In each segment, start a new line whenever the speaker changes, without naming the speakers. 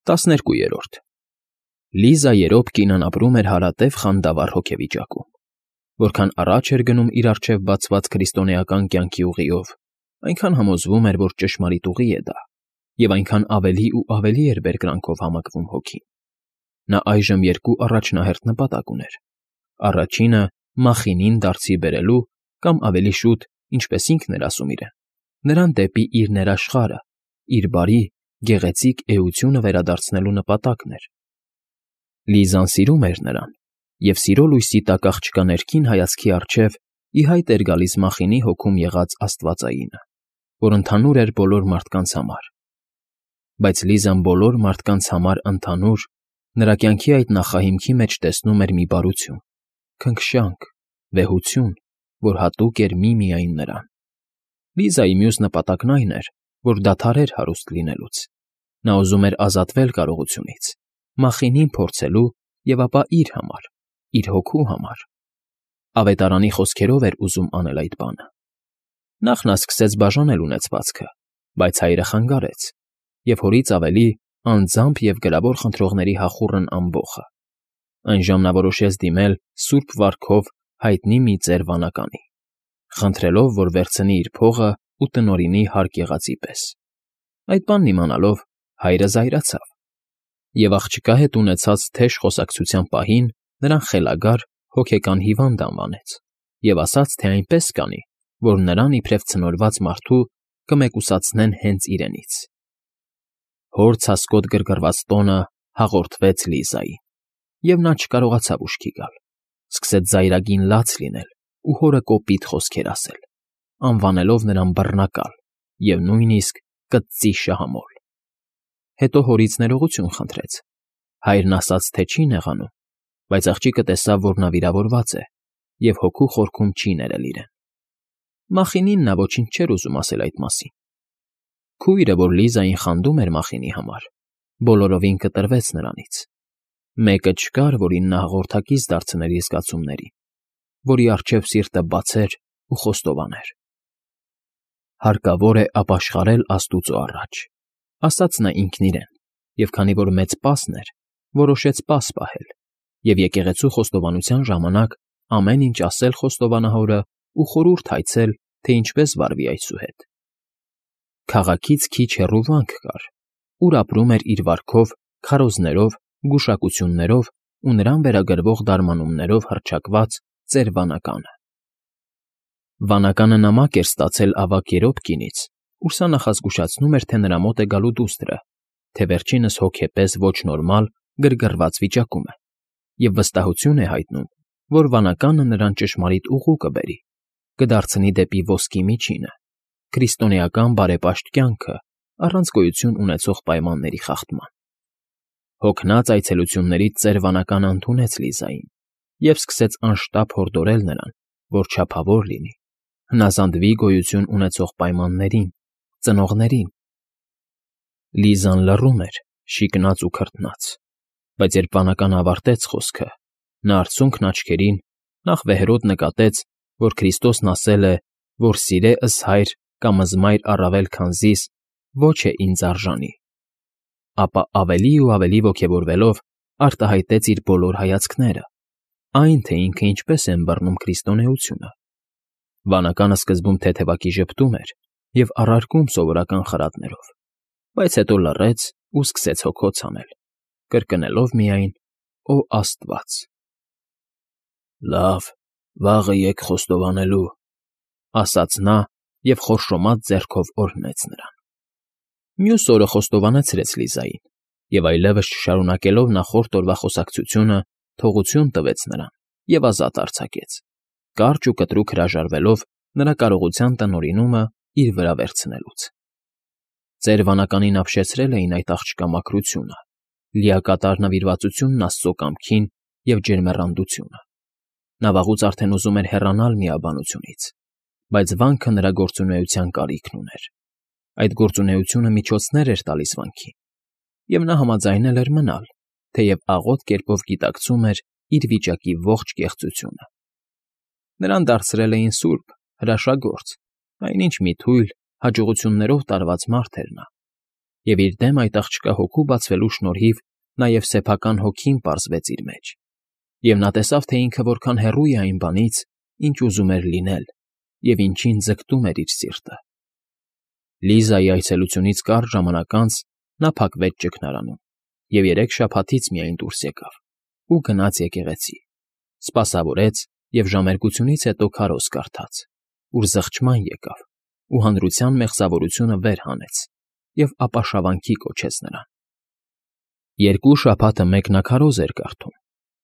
12 Լիզա երբ կինն ապրում էր հարատև խանդավառ հոգեվիճակում, որքան առաջ էր գնում իր առջև բացված քրիստոնեական կյանքի ուղիով, այնքան համոզվում էր, որ ճշմարիտ ուղի է դա, և այնքան ավելի ու ավելի էր բերկրանքով համակվում հոգին։ Նա այժմ երկու առաջնահերթ նպատակ ուներ. առաջինը Մախինին դարձի բերելու կամ ավելի շուտ, ինչպես ինքն էր ասում իրեն, նրան դեպի իր ներաշխարհը, իր բարի, գեղեցիկ էությունը վերադարձնելու նպատակն էր։ Լիզան սիրում էր նրան, և սիրո լույսի տակ աղջկա ներքին հայացքի առջև ի հայտ էր գալիս Մախինի հոգում եղած աստվածայինը, որ ընդհանուր էր բոլոր մարդկանց համար։ Բայց Լիզան բոլոր մարդկանց համար ընդհանուր, նրա կյանքի այդ նախահիմքի մեջ տեսնում էր մի բարություն, քնքշանք, վեհություն, որ հատուկ էր միմիայն նրան։ Լիզայի մյուս նպատակն այն էր, որ դադարեր հարուստ լինելուց։ Նա ուզում էր ազատվել կարողությունից, Մախինին փորձելու և ապա իր համար, իր հոգու համար։ Ավետարանի խոսքերով էր ուզում անել այդ բանը։ Նախ նա սկսեց բաժանել ունեցվածքը, բայց հայրը խանգարեց, և հորից ավելի անձամբ և գրավոր խնդրողների հախուռն ամբոխը։ Այն ժամանավորոշեց դիմել սուրբ վարքով հայտնի մի ծեր վանականի, խնդրելով, որ վերցնի իր փողն ու տնօրինի հարկ եղածի պես։ Այդ բանն իմանալով, հայրը զայրացավ, և աղջկա հետ ունեցած թեժ խոսակցության պահին նրան խելագար, հոգեկան հիվանդ անվանեց և ասաց, թե այնպես կանի, որ նրան իբրև ցնորված մարդու կմեկուսացնեն հենց իրենից։ Հոր ցասկոտ գրգռված տոնը հաղորդվեց Լիզային, և նա չկարողացավ ուշքի գալ, սկսեց զայրագին լաց լինել ու հորը կոպիտ խոսքեր ասել, անվանելով նրան բռնակալ և նույնիսկ կծծի շահամոլ։ Հետո հորից ներողություն խնդրեց։ Հայրն ասաց, թե չի նեղանում, բայց աղջիկը տեսավ, որ նա վիրավորված է և հոգու խորքում չի ներել իրեն։ Մախինին նա ոչինչ չէր ուզում ասել այդ մասին։ Քույրը, որ Լիզային խանդում էր Մախինի համար, բոլորովին կտրվեց նրանից։ Մեկը չկար, որին նա հաղորդակից դարձներ իր զգացումներին, որի առջև սիրտը բացեր ու խոստովաներ։ Հարկավոր է ապաշխարել Աստուծո առաջ, ասաց նա ինքն իրեն, և քանի որ մեծ պասն էր, որոշեց պաս պահել և եկեղեցու խոստովանության ժամանակ ամեն ինչ ասել խոստովանահորը ու խորհուրդ հայցել, թե ինչպես վարվի այսուհետ։ Քաղաքից քիչ հեռու վանք կար, ուր ապրում էր իր վարքով, քարոզներով, գուշակություններով ու նրան վերագրվող դարմանումներով հռչակված ծեր վանականը։ Վանականը նամակ էր ստացել ավագ երրորդ կինից, ուր սա նախազգուշացնում էր, թե նրա մոտ է գալու դուստրը, թե վերջինս հոգեպես ոչ նորմալ, գրգռված վիճակում է, և վստահություն է հայտնում, որ վանականը նրան ճշմարիտ ուղու կբերի, կդարձնի դեպի ոսկի միջինը, քրիստոնեական բարեպաշտ կյանքը առանց գոյություն ունեցող պայմանների խախտման։ Հոգնած այցելություններից ծեր վանականը ընդունեց Լիզային և սկսեց անշտապ հորդորել նրան, որ չափավոր լինի, հնազանդվի գոյություն ունեցող պայմաններին, ծնողներին։ Լիզան լռում էր, շիկնած ու քրտնած, բայց երբ վանականը ավարտեց խոսքը, նա արցունքն աչքերին, նախ վեհերոտ նկատեց, որ Քրիստոսն ասել է, որ «Սիրե՛ս հայր կամ ըզմայր առավել, քան զիս» ոչ է ինձ արժանի, ապա ավելի ու ավելի ոգևորվելով արտահայտեց իր բոլոր հայացքները, այն, թե ինքը ինչպես է ըմբռնում քրիստոնեությունը։ Վանականը սկզբում թեթևակի ժպտում էր և առարկում սովորական խրատներով, բայց հետո լռեց ու սկսեց հոգոց անել, կրկնելով միայն. «Օ Աստված»։ «Լավ, վաղը եկ խոստովանելու», ասաց նա և խորշոմած ձեռքով օրհնեց նրան։ Մյուս օրը խոստովանեցրեց Լիզային և այլևս չշարունակելով նախորդ օրվա խոսակցությունը, թողություն տվեց նրան և ազատ արձակեց, կարճ ու կտրուկ հրաժարվելով նրա կարողության տնօրինումը իր վրա վերցնելուց։ Ծեր վանականին ապշեցրել էին այդ աղջկա մաքրությունը, լիակատար նվիրվածությունն Աստծո կամքին և ջերմեռանդությունը։ Նա վաղուց արդեն ուզում էր հեռանալ միաբանությունից, բայց վանքը նրա գործունեության կարիքն ուներ։ Այդ գործունեությունը միջոցներ էր տալիս վանքին, և նա համաձայնել էր մնալ, թեև աղոտ կերպով գիտակցում էր իր վիճակի ողջ կեղծությունը։ Նրան դարձրել էին սուրբ, հրաշագործ, այնինչ մի թույլ, հաջողություններով տարված մարդ էր նա։ և իր դեմ այդ աղջկա հոգու բացվելու շնորհիվ նաև սեփական հոգին պարզվեց իր մեջ, և նա տեսավ, թե ինքը որքան հեռու է այն բանից, ինչ ուզում էր լինել և ինչին ձգտում էր իր սիրտը։ Լիզայի այցելությունից կարճ ժամանակ անց նա փակվեց ճգնարանում և 3 շաբաթից միայն դուրս եկավ ու գնաց եկեղեցի, սպասավորեց և ժամերկությունից հետո քարոզ կարդաց, ուր զղջման եկավ ու հանրության մեղսավորությունը վեր հանեց և ապաշավանքի կոչեց նրան։ 2 շաբաթը մեկ նա քարոզ էր կարդում,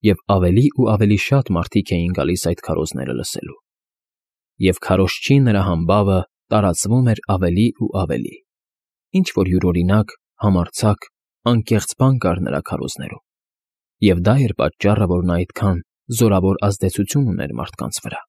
և ավելի ու ավելի շատ մարդիկ էին գալիս այդ քարոզները լսելու, և քարոզչի նրա համբավը տարածվում էր ավելի ու ավելի, ինչ֊որ յուրօրինակ, համարձակ, անկեղծ բան կար նրա քարոզներում, և դա էր պատճառը, որ նա այդքան զորավոր ազդեցություն ուներ մարդկանց վրա։